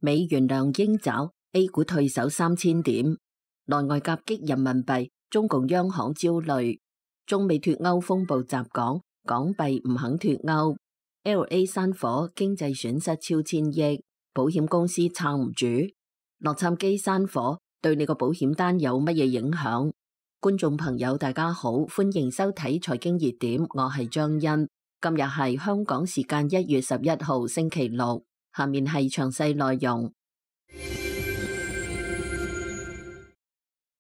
美元亮鷹爪 ，A 股退守3000點，內外夾擊人民幣，中共央行焦慮，中美脫歐風暴襲港，港幣唔肯脫歐 ，LA 山火經濟損失超千億，保險公司撐唔住，洛杉磯山火對你個保險單有乜嘢影響？觀眾朋友大家好，歡迎收睇財經熱點，我係張欣，今日係香港時間1月11號星期六。下面係詳細內容。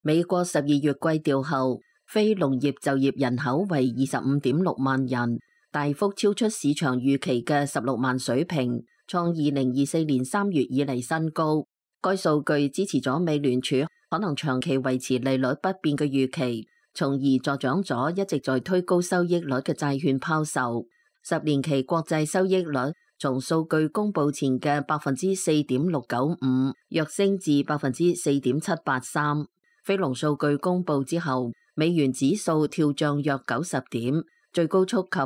美國12月季調後，非農業就業人口為25.6萬人，大幅超出市場預期嘅16萬水平，創2024年3月以嚟新高。該數據支持咗美聯儲可能長期維持利率不變嘅預期，從而助長咗一直在推高收益率嘅債券拋售。10年期國債收益率從數據公佈前嘅4.695躍升至4.783。非農數據公佈之後，美元指數跳漲約90點，最高觸及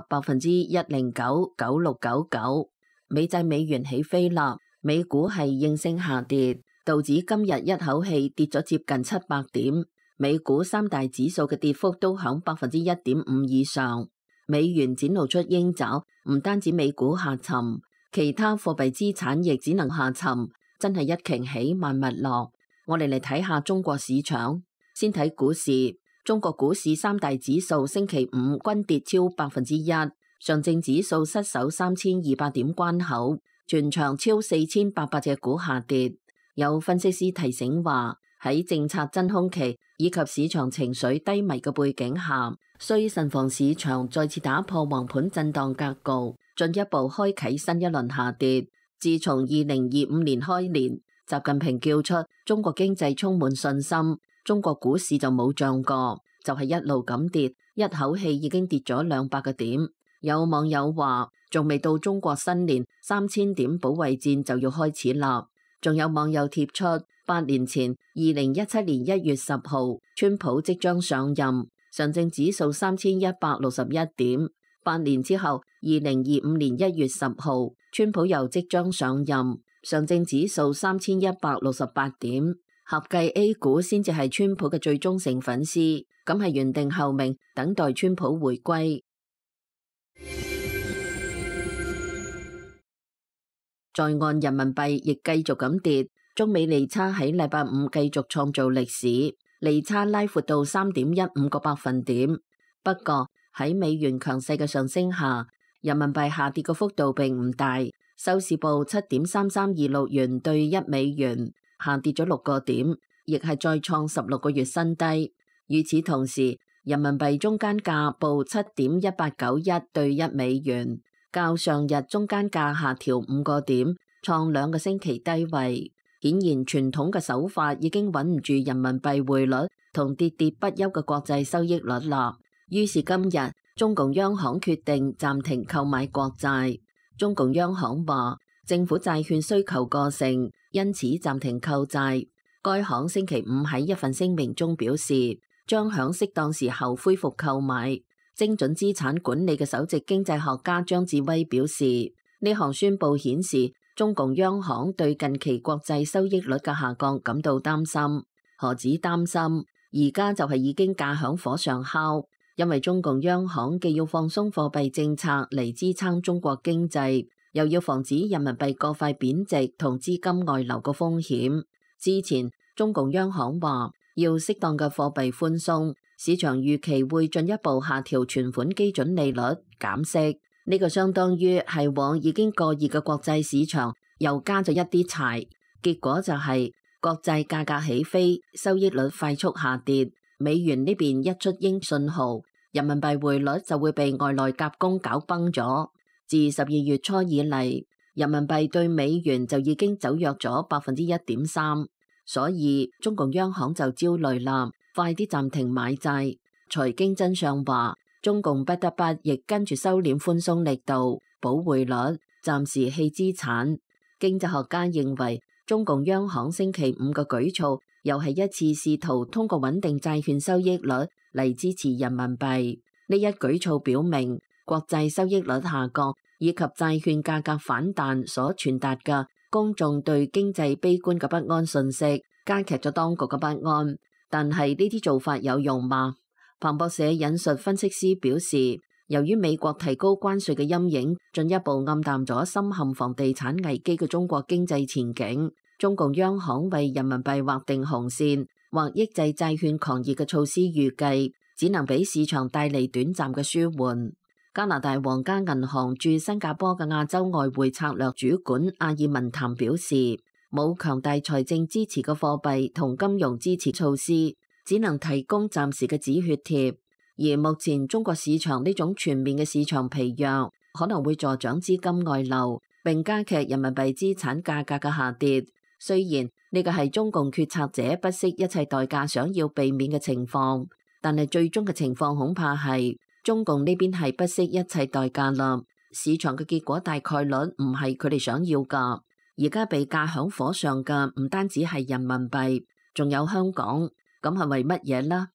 109.9699。美債美元起飛啦，美股係應聲下跌，道指今日一口氣跌咗接近700點，美股三大指數嘅跌幅都響1.5%以上。美元展露出鷹爪，唔單止美股下沉，其他貨幣資產亦只能下沉，真係一鯨起萬物落。我哋嚟睇下中國市場，先睇股市。中國股市三大指數星期五均跌超1%，上證指數失守3200點關口，全場超4800隻股下跌。有分析師提醒話，喺政策真空期以及市場情緒低迷嘅背景下，需慎防市場再次打破橫盤震盪格局，進一步開啟新一輪下跌。自從2025年開年，習近平叫出中國經濟充滿信心，中國股市就冇漲過，就係一路咁跌，一口氣已經跌咗200個點。有網友話，仲未到中國新年3000點保衛戰就要開始啦。仲有網友貼出8年前2017年1月10號，川普即將上任，上證指數3161點。8年之後2025年1月10號，川普又即將上任，上證指數3168點。合計 A 股先至係川普嘅最忠誠粉絲，咁係原定候命，等待川普回歸。在岸人民幣亦繼續咁跌，中美利差喺禮拜五繼續創造歷史，利差拉闊到3.15個百分點。不過喺美元強勢嘅上升下，人民幣下跌嘅幅度並唔大，收市報7.3326元兌1美元，下跌咗6個點，亦係再創16個月新低。與此同時，人民幣中間價報7.1891兌1美元。較上日中間價下調5個點，創2個星期低位。顯然傳統嘅手法已經穩唔住人民幣匯率同跌跌不休嘅國際收益率啦。於是今日中共央行決定暫停購買國債。中共央行話政府債券需求過剩，因此暫停購債。該行星期五喺一份聲明中表示，將響適當時候恢復購買。精準資產管理嘅首席經濟學家張志威表示，呢項宣佈顯示中共央行對近期國際收益率嘅下降感到擔心。何止擔心，而家就係已經架響火上烤，因為中共央行既要放鬆貨幣政策嚟支撐中國經濟，又要防止人民幣過快貶值同資金外流嘅風險。之前中共央行話要適當嘅貨幣寬鬆，市場預期會進一步下調存款基準利率，減息。呢個相當於係往已經過熱嘅國際市場又加咗一啲柴，結果就係國債價格起飛，收益率快速下跌。美元呢邊一出鷹信號，人民幣匯率就會被外來夾攻搞崩咗。自12月初以嚟，人民幣對美元就已經走弱咗1.3%，所以中共央行就焦慮啦。快啲暫停買債。財經真相話，中共不得不亦跟住收斂寬鬆力度，保匯率，暫時棄資產。經濟學家認為，中共央行星期五嘅舉措又係一次試圖通過穩定債券收益率嚟支持人民幣。呢一舉措表明，國際收益率下降以及債券價格反彈所傳達嘅公眾對經濟悲觀嘅不安訊息，加劇咗當局嘅不安。但係呢啲做法有用嗎？彭博社引述分析師表示，由於美國提高關稅嘅陰影，進一步暗淡咗深陷房地產危機嘅中國經濟前景。中共央行為人民幣劃定紅線或抑制債券狂熱嘅措施，預計只能俾市場帶嚟短暫嘅舒緩。加拿大皇家銀行駐新加坡嘅亞洲外匯策略主管阿爾文譚表示，冇強大財政支持嘅貨幣同金融支持措施，只能提供暫時嘅止血貼。而目前中國市場呢種全面嘅市場疲弱，可能會助長資金外流，並加劇人民幣資產價格嘅下跌。雖然呢個係中共決策者不惜一切代價想要避免嘅情況，但係最終嘅情況恐怕係中共呢邊係不惜一切代價啦。市場嘅結果大概率唔係佢哋想要㗎。而家被架響火上嘅唔單止係人民幣，仲有香港，咁係為乜嘢呢？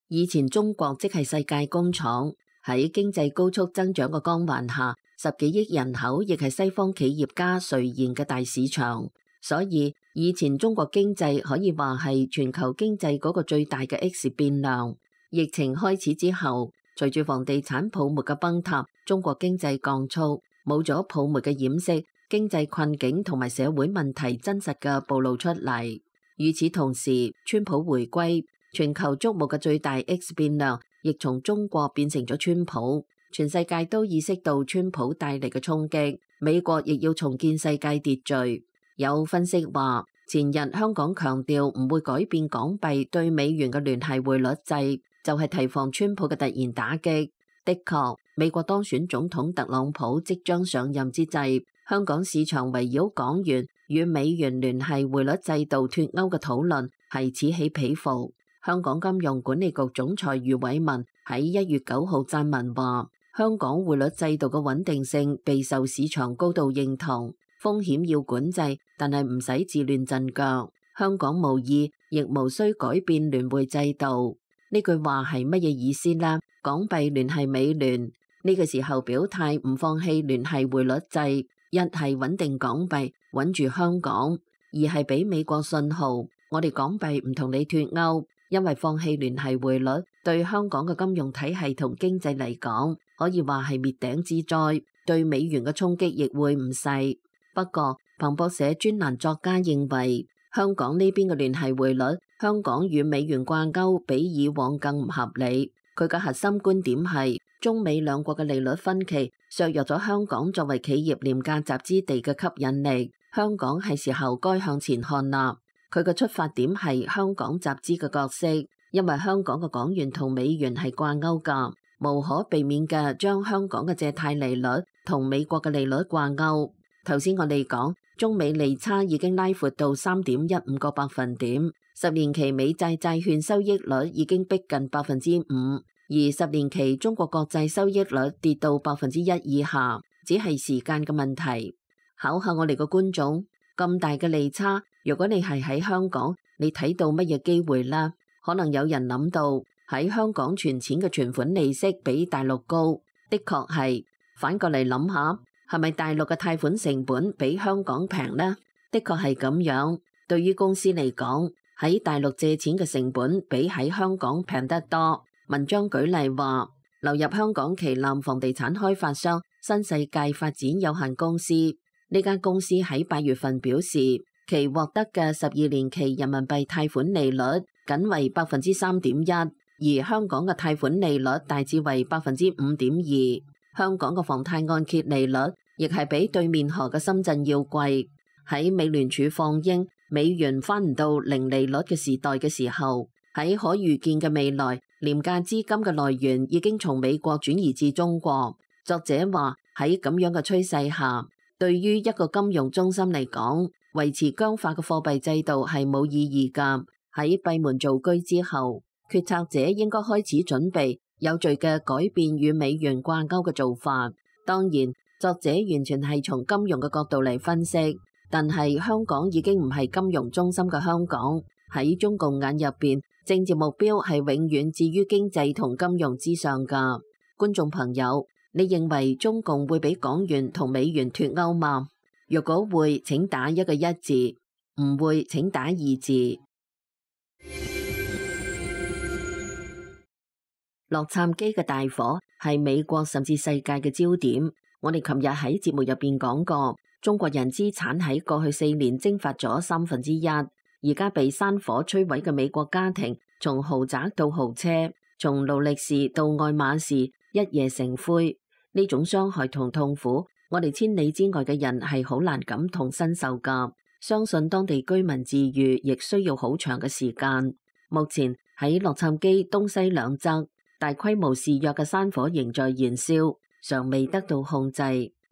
以前中國即係世界工廠，喺經濟高速增長嘅光環下，10幾億人口亦係西方企業家垂涎嘅大市場。所以以前中國經濟可以話係全球經濟嗰個最大嘅 X 變量。疫情開始之後，隨住房地產泡沫嘅崩塌，中國經濟降速，冇咗泡沫嘅掩飾，經濟困境同埋社會問題真實嘅暴露出嚟。與此同時，川普回歸，全球矚目嘅最大 X 變量亦從中國變成咗川普。全世界都意識到川普帶嚟嘅衝擊，美國亦要重建世界秩序。有分析話，前日香港強調唔會改變港幣對美元嘅聯繫匯率制，就係提防川普嘅突然打擊。的確，美國當選總統特朗普即將上任之際，香港市場圍繞港元與美元聯繫匯率制度脫鈎嘅討論係此起彼伏。香港金融管理局總裁余偉文喺1月9號撰文話，香港匯率制度嘅穩定性備受市場高度認同，風險要管制，但係唔使自亂陣腳。香港無意亦無需改變聯匯制度。呢句話係乜嘢意思呢？港幣聯繫美聯，呢個時候表態唔放棄聯繫匯率制，一係穩定港幣，穩住香港；二係俾美國信號，我哋港幣唔同你脫鈎。因為放棄聯繫匯率對香港嘅金融體系同經濟嚟講，可以話係滅頂之災，對美元嘅衝擊亦會唔細。不過，彭博社專欄作家認為，香港呢邊嘅聯繫匯率，香港與美元掛鈎比以往更唔合理。佢嘅核心觀點係，中美兩國嘅利率分歧削弱咗香港作為企業廉價集資地嘅吸引力。香港係時候該向前看啦。佢嘅出發點係香港集資嘅角色，因為香港嘅港元同美元係掛鈎㗎，無可避免嘅將香港嘅借貸利率同美國嘅利率掛鈎。頭先我哋講，中美利差已經拉闊到3.15個百分點，10年期美債債券收益率已經逼近5%，而10年期中國國債收益率跌到1%以下，只係時間嘅問題。考下我哋個觀眾，咁大嘅利差，如果你係喺香港，你睇到乜嘢機會呢？可能有人諗到喺香港存錢嘅存款利息比大陸高，的確係。反過嚟諗下，係咪大陸嘅貸款成本比香港平呢？的確係咁樣。對於公司嚟講，喺大陸借錢嘅成本比喺香港平得多。文章舉例話，流入香港旗艦房地產開發商新世界發展有限公司，呢間公司喺8月份表示，其獲得嘅12年期人民幣貸款利率僅為3.1%，而香港嘅貸款利率大致為5.2%。香港嘅房貸按揭利率亦係比對面河嘅深圳要貴。喺美聯儲放鷹美元翻唔到零利率嘅時代嘅時候，喺可預見嘅未來，廉價資金嘅來源已經從美國轉移至中國。作者話，喺咁樣嘅趨勢下，對於一個金融中心嚟講，維持僵化嘅貨幣制度係冇意義㗎。喺閉門造車之後，決策者應該開始準備有序嘅改變與美元掛鈎嘅做法。當然，作者完全係從金融嘅角度嚟分析，但係香港已經唔係金融中心嘅香港。喺中共眼入邊，政治目標係永遠置於經濟同金融之上㗎。觀眾朋友，你認為中共會俾港元同美元脫鈎嗎？若果會，請打一個一字；唔會，請打二字。洛杉磯嘅大火係美國甚至世界嘅焦點。我哋琴日喺節目入邊講過，中國人資產喺過去4年蒸發咗1/3，而家被山火摧毀嘅美國家庭，從豪宅到豪車，從勞力士到愛馬仕，一夜成灰。呢種傷害同痛苦，我哋千里之外嘅人係好難感同身受噶。相信當地居民治癒亦需要好長嘅時間。目前喺洛杉磯東西兩側，大規模肆虐嘅山火仍在燃燒，尚未得到控制。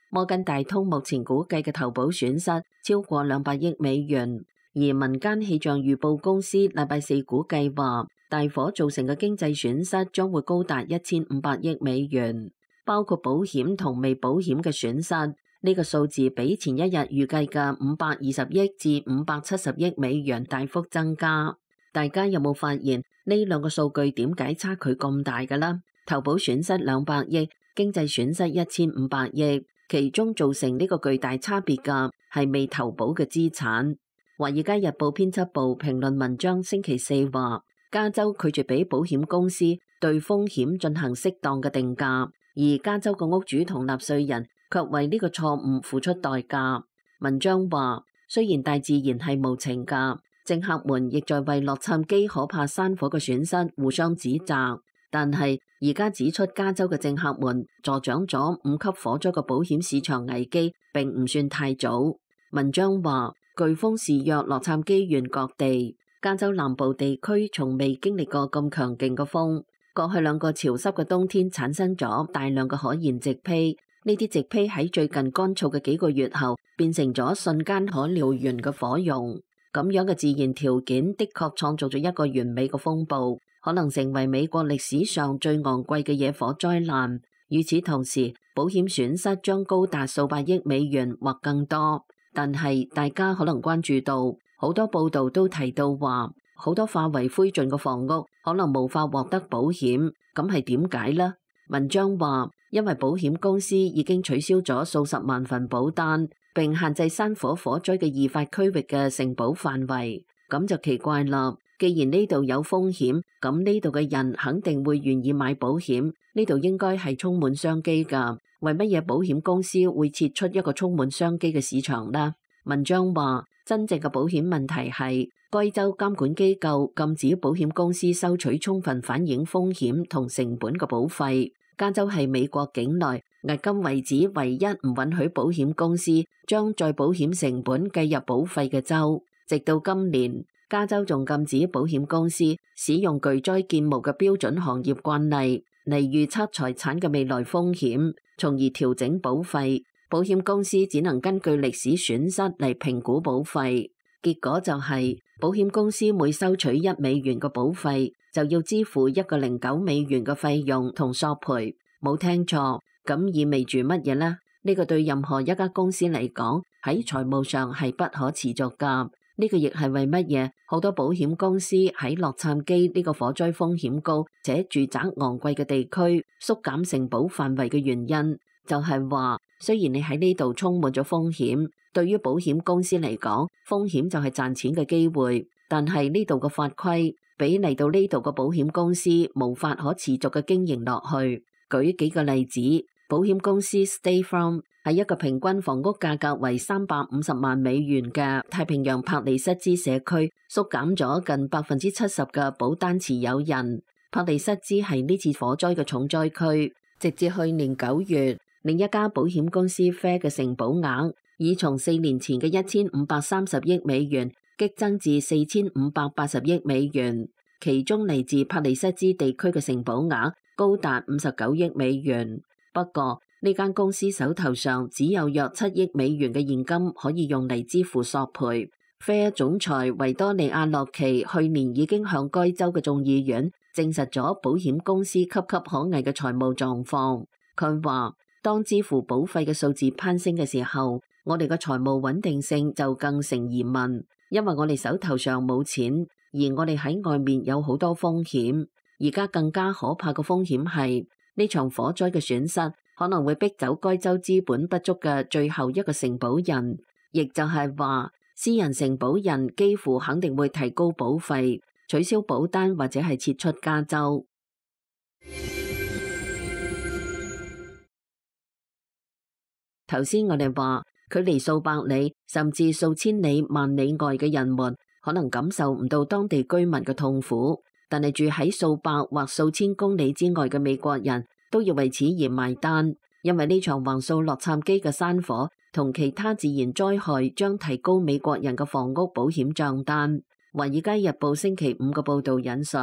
摩根大通目前估計嘅投保損失超過200億美元，而民間氣象預報公司禮拜四估計話，大火造成嘅經濟損失將會高達1500億美元，包括保險同未保險嘅損失。呢個數字比前一日預計嘅520億至570億美元大幅增加。大家有冇發現呢兩個數據點解差距咁大嘅呢？投保損失200億，經濟損失1500億，其中造成呢個巨大差別嘅係未投保嘅資產。華爾街日報編輯部評論文章星期四話，加州拒絕俾保險公司對風險進行適當嘅定價，而加州嘅屋主同納稅人卻為呢個錯誤付出代價。文章話，雖然大自然係無情㗎，政客們亦在為洛杉磯可怕山火嘅損失互相指責，但係而家指出加州嘅政客們助長咗5級火災嘅保險市場危機並唔算太早。文章話，颶風肆虐洛杉磯縣各地，加州南部地區從未經歷過咁強勁嘅風。過去2個潮濕嘅冬天產生咗大量嘅可燃植被，呢啲植被喺最近乾燥嘅幾個月後變成咗瞬間可燎原嘅火絨。咁樣嘅自然條件的確創造咗一個完美嘅風暴，可能成為美國歷史上最昂貴嘅野火災難。與此同時，保險損失將高達數百億美元或更多。但係大家可能關注到，好多報道都提到話，好多化為灰燼嘅房屋可能無法獲得保險，咁係點解呢？文章話，因為保險公司已經取消咗數十萬份保單，並限制山火火災嘅易發區域嘅承保範圍，咁就奇怪啦。既然呢度有風險，咁呢度嘅人肯定會願意買保險，呢度應該係充滿商機㗎。為乜嘢保險公司會設出一個充滿商機嘅市場呢？文章話，真正嘅保險問題係，該州監管機構禁止保險公司收取充分反映風險同成本嘅保費。加州係美國境內迄今為止唯一唔允許保險公司將再保險成本計入保費嘅州。直到今年，加州仲禁止保險公司使用巨災建模嘅標準行業慣例嚟預測財產嘅未來風險，從而調整保費。保險公司只能根據歷史損失嚟評估保費。結果就係，保險公司每收取1美元嘅保費，就要支付1.09美元嘅費用同索賠。冇聽錯，咁意味住乜嘢呢？呢個對任何一家公司嚟講，喺財務上係不可持續㗎。呢個亦係為乜嘢好多保險公司喺洛杉磯呢個火災風險高且住宅昂貴嘅地區縮減承保範圍嘅原因，就係話，雖然你喺呢度充滿咗風險，對於保險公司嚟講，風險就係賺錢嘅機會，但係呢度嘅法規俾嚟到呢度嘅保險公司無法可持續嘅經營落去。舉幾個例子，保險公司 State Farm 喺一個平均房屋價格為350萬美元嘅太平洋帕里塞茲社區縮減咗近70%嘅保單持有人。帕里塞茲係呢次火災嘅重災區，直至去年9月，另一家保險公司 Fair 嘅承保額已從4年前嘅1530億美元激增至4580億美元，其中嚟自帕里塞茲地區嘅承保額高達59億美元。不過呢間公司手頭上只有約7億美元嘅現金可以用嚟支付索賠。Fair 總裁維多利亞洛奇去年已經向該州嘅眾議院證實咗保險公司岌岌可危嘅財務狀況。佢話，當支付保費嘅數字攀升嘅時候，我哋嘅財務穩定性就更成疑問，因為我哋手頭上冇錢，而我哋喺外面有好多風險。而家更加可怕嘅風險係呢場火災嘅損失可能會逼走該州資本不足嘅最後一個承保人，亦就係話私人承保人幾乎肯定會提高保費、取消保單或者係撤出加州。頭先我哋話，距離數百里甚至數千里、萬里外嘅人們可能感受唔到當地居民嘅痛苦，但係住喺數百或數千公里之外嘅美國人都要為此而埋單，因為呢場橫掃洛杉磯嘅山火同其他自然災害將提高美國人嘅房屋保險賬單。華爾街日報星期五嘅報導引述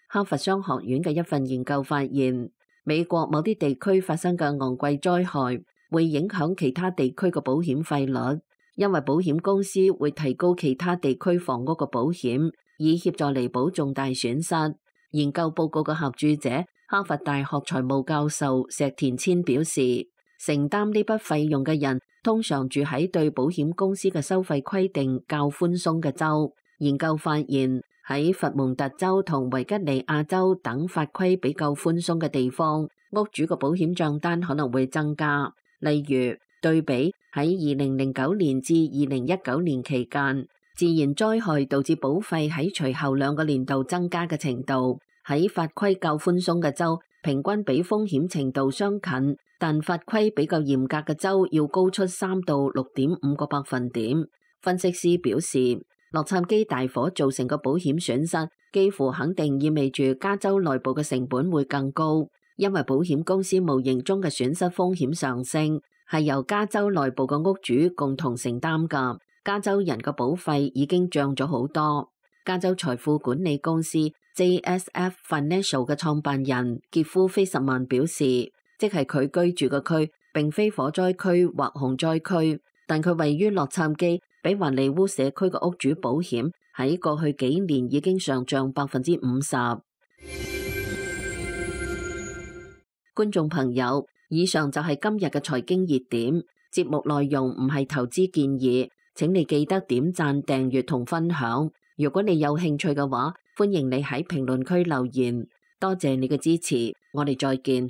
哈佛商學院嘅一份研究發現，美國某啲地區發生嘅昂貴災害會影響其他地區嘅保險費率，因為保險公司會提高其他地區房屋嘅保險，以協助彌補重大損失。研究報告嘅合著者哈佛大學財務教授石田千表示，承擔呢筆費用嘅人通常住喺對保險公司嘅收費規定較寬鬆嘅州。研究發現，喺佛蒙特州同維吉尼亞州等法規比較寬鬆嘅地方，屋主嘅保險賬單可能會增加。例如，對比喺2009年至2019年期間，自然災害導致保費喺隨後2個年度增加嘅程度，喺法規較寬鬆嘅州，平均比風險程度相近，但法規比較嚴格嘅州要高出3到6.5個百分點。分析師表示，洛杉磯大火造成嘅保險損失，幾乎肯定意味住加州內部嘅成本會更高。因為保險公司無形中嘅損失風險上升，係由加州內部嘅屋主共同承擔㗎。加州人嘅保費已經漲咗好多。加州財富管理公司 JSF Financial 嘅創辦人傑夫菲什曼表示，即係佢居住嘅區並非火災區或洪災區，但佢位於洛杉磯，比華利烏社區嘅屋主保險喺過去幾年已經上漲50%。觀眾朋友，以上就係今日嘅財經熱點。節目內容唔係投資建議，請你記得點讚、訂閱同分享。如果你有興趣嘅話，歡迎你喺評論區留言。多謝你嘅支持，我哋再見。